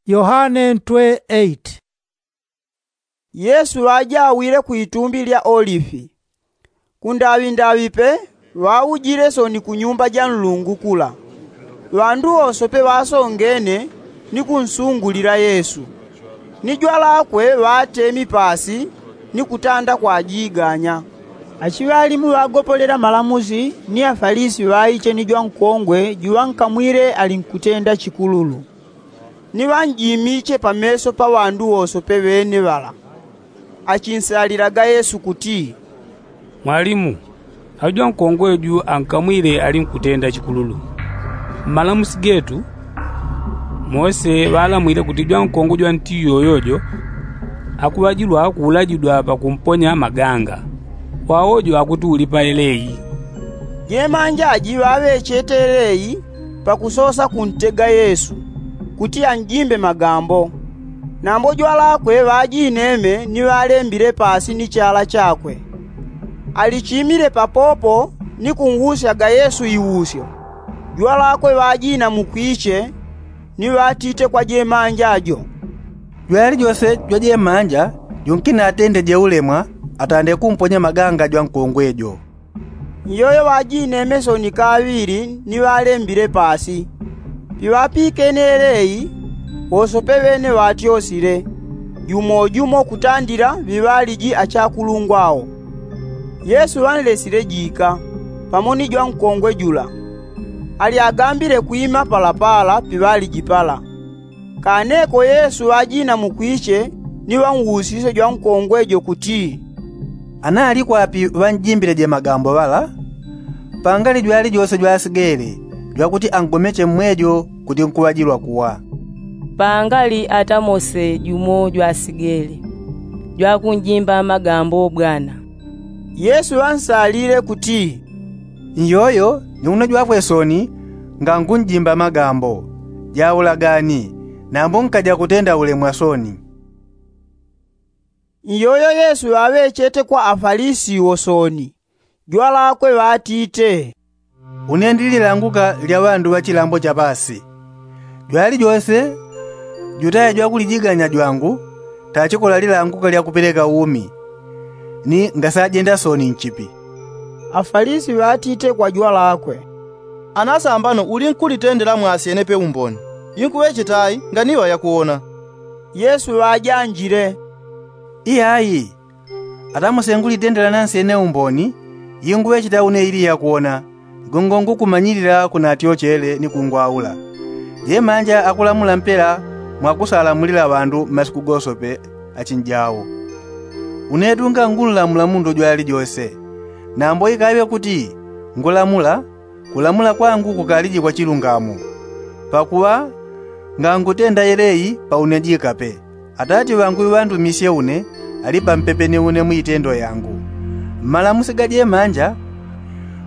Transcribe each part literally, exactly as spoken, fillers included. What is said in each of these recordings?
Yohane ntwe eight. Yesu ŵajawile ku itumbi lya olifi. Kundaŵindaŵi pe ŵaujile soni ku nyumba ja nlungu kula. Ŵandu wose pe ŵasongene ni kunsungulila yesu. Ni jwalakwe ŵatemi pasi ni kutanda kwajiganya. Achiŵalimu ŵagopolela malamusi ni afalisi ŵaiche ni jwankongwe juŵankamwile ali nkutenda chikululu. Ni ŵanjimiche pameso pa ŵandu wose pe ŵene ŵala. Achinsalilaga yesu kuti, mwalimu, aujwankongwe ju ankamwile ali nkutenda chikululu. Mmalamusi getu mose ŵalamwile kuti jwankongwe jwa nti yoyojo akuŵajilwa kuulajidwa pakumponya maganga. Kwawojo akuti ulipa eleyi. Jemanja aji ŵaŵechete eleyi pakusosa kuntega yesu kuti anjimbe magambo. Nambo jwalakwe ŵajineme ni ŵalembile pasi ni chala chakwe. Alichimile papopo ni kunwusyaga yesu iwusyo. Jwalakwe ŵajina mukwiche ni ŵatite kwa jemanja jo, jwali jose jwajemanja junkinatende jeulemwa atande kumponya maganga jwankongwe jo. Iyoyo ŵajineme soni kaŵili ni ŵalembile pasi. Piŵapikene eleyi wose pe ŵene ŵatyosile, jumo jumo kutandila ŵiŵaliji achakulungwa awo. Yesu ŵanlesile jika pamo ni jwankongwe jula. Alyagambile kwima palapala piŵaliji pala. Kaneko yesu ŵajina mukwiche ni ŵanwusisye jwankongwe jo kuti, ana alikwapi ŵanjimbileje magambo ŵala? Pangali jwali jose jwasigele jwakuti angomeche mmwejo kuti nkuŵajilwa kuwa. Pangali ata mose jumo jwasigele jwakunjimba magambo bwana. Yesu ŵansalile kuti, nyoyo ni uno jwafwe soni ngangunjimba magambo. Jaulagani nambo nkaja kutenda ulemwa soni. Iyoyo yesu ŵaŵechete kwa afalisi wo soni. Jwalakwe ŵatite, une ndi lilanguka lya ŵandu ŵa chilambo cha pasi. Jwali jose jutaya jwakulijiganya jwangu tachikola lilanguka lya kupeleka umi. Ni ngasajenda soni nchipi? Afalisi ŵatite kwa jwalakwe, anasambano uli nkulitendela mwasyene pe umboni. Inkuŵecheta ai nganiŵa yakuwona? Yesu ŵajanjile, iyayi. Ata muse ngulitendela nansyene umboni inguŵecheta une ili yakuwona. Gongo ngukumanyilila kunatyochele ni kungwaula. Jemanja akulamula mpela mwakusalamulila ŵandu mmasiku gose pe achinjau. Une tunga ngululamula mundu jwali jose. Nambo ikaŵe kuti ngulamula, kulamula kwangu kukaliji kwa chilungamo. Pakuŵa ngangutenda yeleyi pa une jika pe. Atati ŵangu iŵandumisye une ali pampepe ni une muitendo yangu. Mmalamusi ga jemanja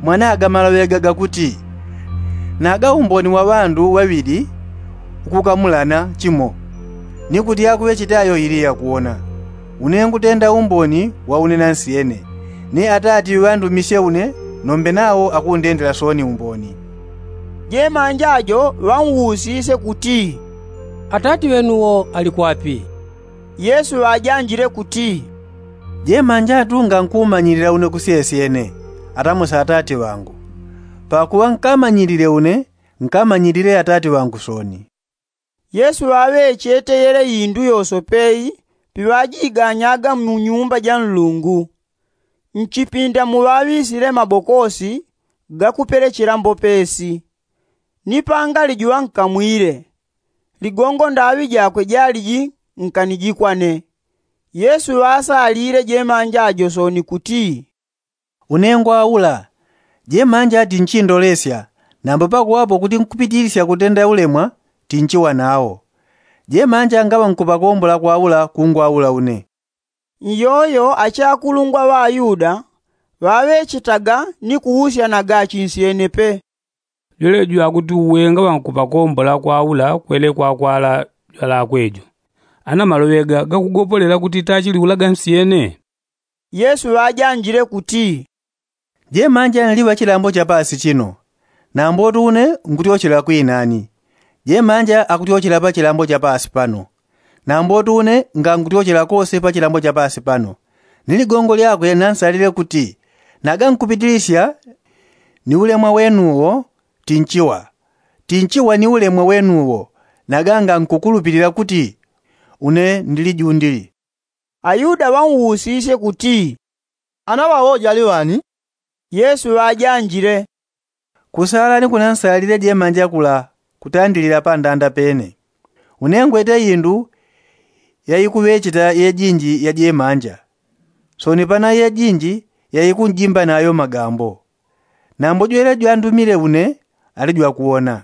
mwanaga maloŵe gaga kuti, naga umboni wa ŵandu ŵaŵili ukukamulana chimo. Ni kuti akuŵechete ayo ili yakuwona. Une ngutenda umboni wa une nansyene. Ni atati ŵandumisye une nombe nawo akundendela soni umboni. Jemanja jo ŵanwusisye kuti, atati ŵenuwo ali kwapi? Yesu ŵajanjile kuti, jemanja tu ngankumanyilila une kusyesyene, ata muse atati ŵangu. Pakuŵa nkamanyilile une nkamanyilile atati ŵangu soni. Yesu ŵaŵechete yele indu yose peyi piŵajiganyaga mu nyumba ja nlungu. Nchipinda muŵaŵisile mabokosi gakupelechela mbopesi. Ni pangali juŵankamwile. Ligongo ndaŵi jakwe jaliji nkanijikwane. Yesu ŵasalile jemanja jo soni kuti, une ngwaula. Jemanja tinchindolesya. Nambo pakuŵapo kuti nkupitilisya kutenda ulemwa tinchiwa nawo. Jemanja ngaŵa nkupakombola kwaula kungwaula une. Iyoyo achakulungwa ŵa ayuda ŵaŵechetaga ni kuusyanaga achinsyene pe. Jwelejo akuti uwe ngaŵa nkupakombola kwaula kwele kwakwala jwalakwe jo. Ana maloŵe ga gakugopolela kuti tachiliulaga nsyene? Yesu ŵajanjile kuti, jemanja nliŵa chilambo cha pasi chino. Nambotu une ngutyochela kwinani. Jemanja akutyochela pa chilambo cha paasi pano. Nambotu une ngankutyochela kose pa chilambo cha paasi pano. Ni ligongo lyakwe nansalile kuti, naga nkupitilisya ni ulemwa wenuwo, tinchiwa tinchiwa ni ulemwa wenuwo. Naga ngankukulupilila kuti une ndili jundili. Ayuda ŵanwusisye kuti, ana ŵawo jali ŵani? Yesu ŵajanjile, kusala ni kunansalile jemanja kula kutandilila pandanda pene. Une ngwete indu yaikuŵecheta yejinji ya jemanja, soni pana yejinji yaikunjimba nayo magambo. Nambo jwele jwandumile une ali jwakuwona.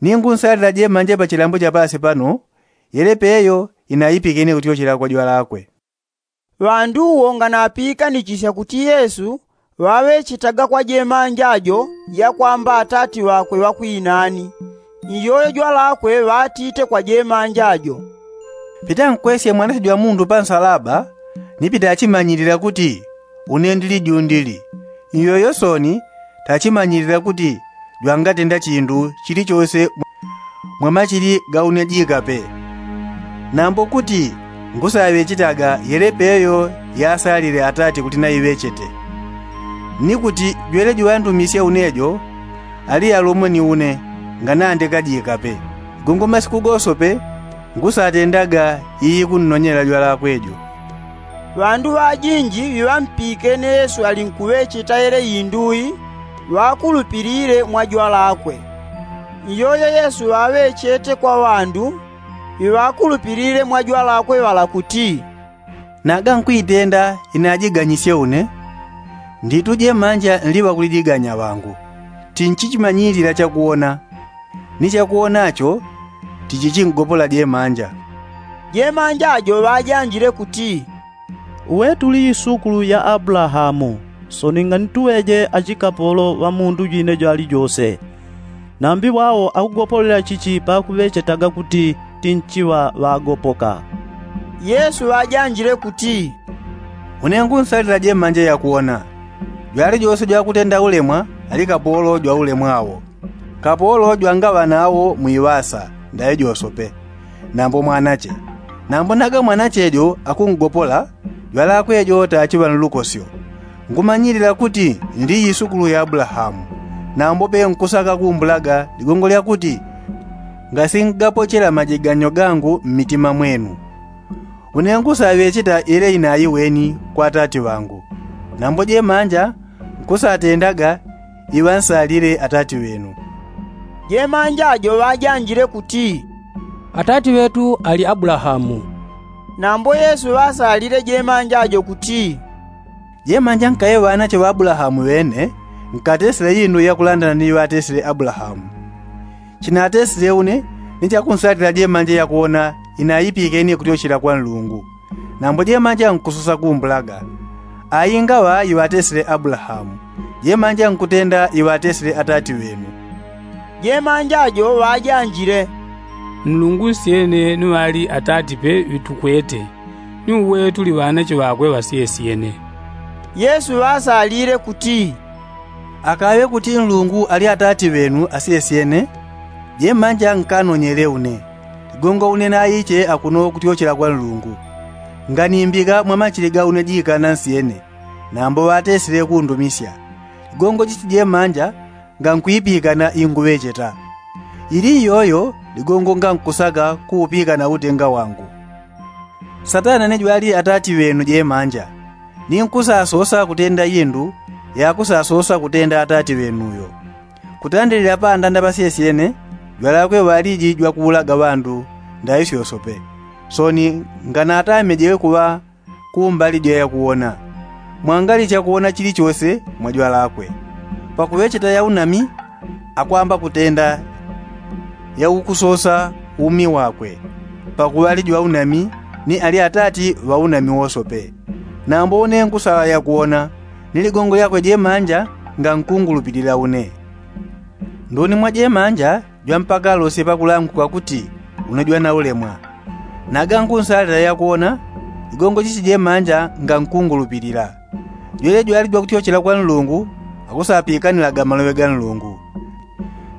Ningunsalila jemanja pa chilambo cha paasi pano, yele peyo inaipikene kutyochela kwa jwalakwe. Ŵandu wo nganapiikanichisya kuti yesu ŵaŵechetaga kwa jemanja jo yakwamba atati ŵakwe ŵakwinani, iyoyo jwalakwe ŵatite kwa jemanja jo, pitankwesye mwanache jwa mundu pa nsalaba, ni pitachimanyilila kuti une ndili jundili. Iyoyo soni tachimanyilila kuti jwangatenda chindu chilichose mwa machili ga une jikape. Nambo kuti ngusaŵechetaga yele peyo yasalile atati kuti naiŵechete, ni kuti jwele jwandumisye une jo ali yalumwe ni une nganandeka jikape. Gongo masiku gosope ngusatendaga iikunnonyela jwalakwe jo. Ŵandu ŵajinji ŵiŵampikene yesu alinkuŵecheta yele indu i ŵakulupilile mwa jwalakwe. Iyoyo yesu ŵaŵechete kwa ŵandu ŵiŵakulupilile mwa jwalakwe ŵala kuti, naga nkwitenda inajiganyisye une, nditu jemanja nliŵa kulijiganya ŵangu. Tinchichimanyilila chakuwona, ni chakuwona cho tichichinggopola jemanja. Jemanja jo ŵajanjile kuti, uwe tuli isukulu ya abulahamu, soni nganituŵeje achikapolo ŵa mundu jwine jwalijose. Nambi ŵao akugopolela chichi pakuŵechetaga kuti tinchiŵa ŵagopoka? Yesu ŵajanjile kuti, une ngunsalila jemanja yakuwona. Jwalijose jwakutenda ulemwa ali kapolo jwa ulemwa wo. Kapolo jwangaŵa nawo mwiŵasa ndaŵe josope, nambo mwanache. Nambo naga mwanache jo akungopola, jwalakwe jo tachiŵa nlukosyo. Ngumanyilila kuti ndi isukulu ya abulahamu, nambo pe nkusaka kumbulaga ligongo lya kuti ngasingapochela majiganyo gangu mmitima mwenu. Une ngusaŵecheta yele inaiweni kwa atati ŵangu, nambo jemanja nkusatendaga iŵansalile atati ŵenu. Jemanja jo ŵajanjile kuti, atati ŵetu ali abulahamu. Nambo yesu ŵasalile jemanja jo kuti, jemanja nkaŵe ŵanache ŵa abulahamu ŵene, nkatesile indu yakulandana ni iŵatesile abulahamu. Chinatesile une ni chakunsalila jemanja yakuwona inaipikene kutyochela kwa nlungu. Nambo jemanja nkusosa kumbulaga, aingaŵa iŵatesile abulahamu, jemanja nkutenda iŵatesile atati ŵenu. Jemanja jo ŵajanjile, nlungu nsyene ni ŵali atati pe ŵitukwete, ni uwe tuli ŵanache ŵakwe ŵasyesyene. Yesu ŵasalile kuti, akaŵe kuti nlungu ali atati ŵenu asyesyene, jemanja nkanonyele une. Ligongo une naiche akuno kutyochela kwa nlungu, nganimbika mwa machili ga une jikana nsyene, nambo ŵatesile kundumisya. Ligongo chichi jemanja ngankwipikana inguŵecheta. Ili iyoyo ligongo ngankusaka kuupikana utenga wangu. Satana ni jwali atati ŵenu jemanja, ni nkusasosa kutenda indu yakusasosa kutenda atati ŵenuyo. Kutandilila pandanda pasyesyene jwalakwe ŵaliji jwakuulaga ŵandu ndaŵe fyosope. Soni nganatamejewe kuŵa kumbali jwa yakuwona, mwangali chakuwona chilichose mwa jwalakwe. Pakuŵecheta yaunami akwamba kutenda yaukusosa umi wakwe, pakuŵa ali jwaunami ni ali atati ŵaunami wosope. Nambo une nkusala yakuwona, ni ligongo lyakwe jemanja ngankungulupilila une. Nduni mwa jemanja jwa mpaka alosye pakulanguka kuti une jwana ulemwa. Naga nkunsalila yakuwona, ligongo chichi jemanja ngankungulupilila. Jwele jwali jwakutyochela kwa nlungu akusapikanilaga maloŵe ga nlungu.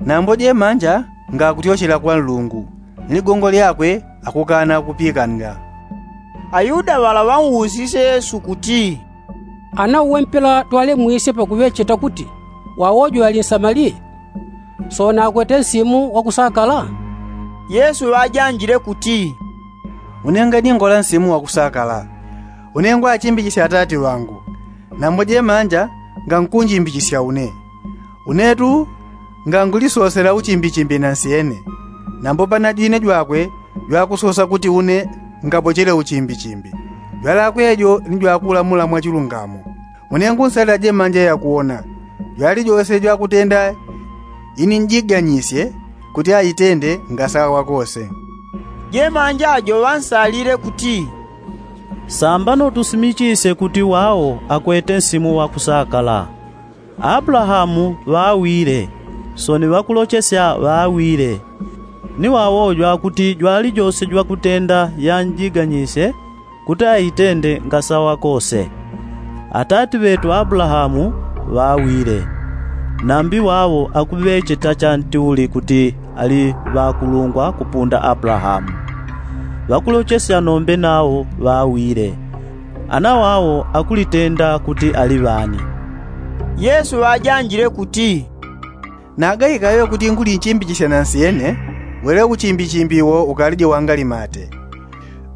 Nambo jemanja ngakutyochela kwa nlungu, ni ligongo lyakwe akukana kupikanila. Ayuda ŵala ŵausisye yesu kuti, ana uwe mpela twalemwisye pakuŵecheta kuti wawojo ali nsamaliya, sona akwete nsimu wakusakala? Yesu ŵajanjile kuti, une ngadingola nsimu wakusakala. Une ngwachimbichisya atati ŵangu, nambo jemanja ngankunjimbichisya une. Unetu ngangulisosela uchimbichimbi nansyene, nambo panajwine jwakwe jwakusosa kuti une ngapochele uchimbichimbi. Jwalakwe jo ni jwakulamula mwachilungamo. Une ngunsalila jemanja yakuwona, jwalijose jwakutenda ini njiganyisye kuti aitende ngasawa kose. Jemanja jo ŵansalile kuti, sambano tusimichisye kuti wao akwete nsimu wakusakala. Abulahamu ŵawile, soni ŵakulochesya ŵawile, ni wawojwa kuti jwalijose jwakutenda yanjiganyisye kuti aitende ngasawa kose. Atati ŵetu abulahamu ŵawile, nambi wao akuŵecheta chantiuli kuti ali ŵakulungwa kupunda abulahamu. Ŵakulochesya nombe nao ŵawile, ana wao akulitenda kuti ali ŵani? Yesu ŵajanjile kuti, nagaikaŵe kuti ngulinchimbichisya nansyene, wele uchimbichimbi wo ukalije wangalimate.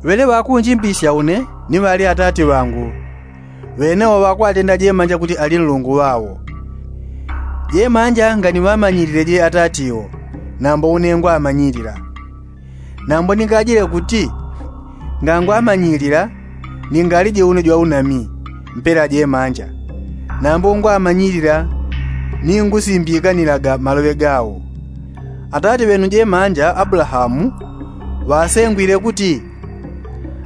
Ŵele ŵakunjimbichisya une ni ŵali atati ŵangu, ŵene wo ŵakwatenda jemanja kuti ali nlungu ŵao. Jemanja nganiŵamanyilile je atati wo, nambo une ngwamanyilila. Nambo ningajile kuti ngangwamanyilila, ningalije une jwaunami mpela jemanja. Nambo ngwamanyilila, ningusimbikanilaga maloŵe gao. Atati ŵenu jemanja abulahamu ŵasengwile kuti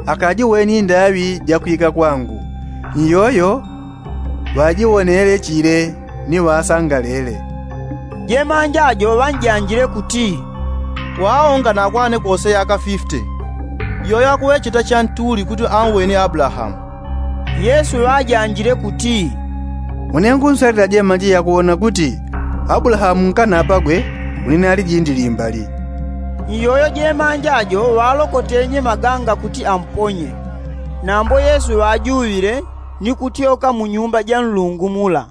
akajiweni ndaŵi jakwika kwangu, ni yoyo ŵajiwonele chile ni ŵasangalele. Jemanja jo ŵanjanjile kuti, wao nganakwane kose yaka fifte, yoyo akuŵecheta chantiuli kuti anweni abulahamu? Yesu ŵajanjile kuti, une ngunsalila jemanja yakuwona kuti abulahamu nkanapagwe, une nali jindi limbali. Ni yoyo jemanja jo ŵalokotenye maganga kuti amponye. Nambo yesu ŵajuŵile ni kutyoka mu nyumba ja nlungu mula.